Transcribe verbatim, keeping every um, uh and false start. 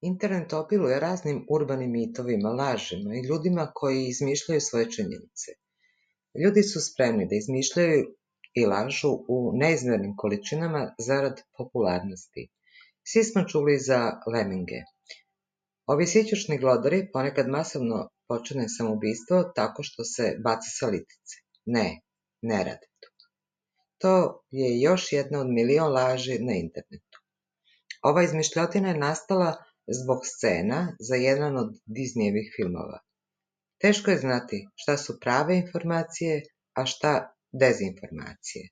Internet obiluje raznim urbanim mitovima, lažima i ljudima koji izmišljaju svoje činjenice. Ljudi su spremni da izmišljaju i lažu u neizmernim količinama zarad popularnosti. Svi smo čuli za leminge. Ovi sićušni glodari ponekad masovno počine samoubistvo tako što se baca sa litice. Ne, ne rade to. To je još jedna od milion laži na internetu. Ova izmišljotina je nastala zbog scena za jedan od Disneyevih filmova. Teško je znati šta su prave informacije, a šta dezinformacije.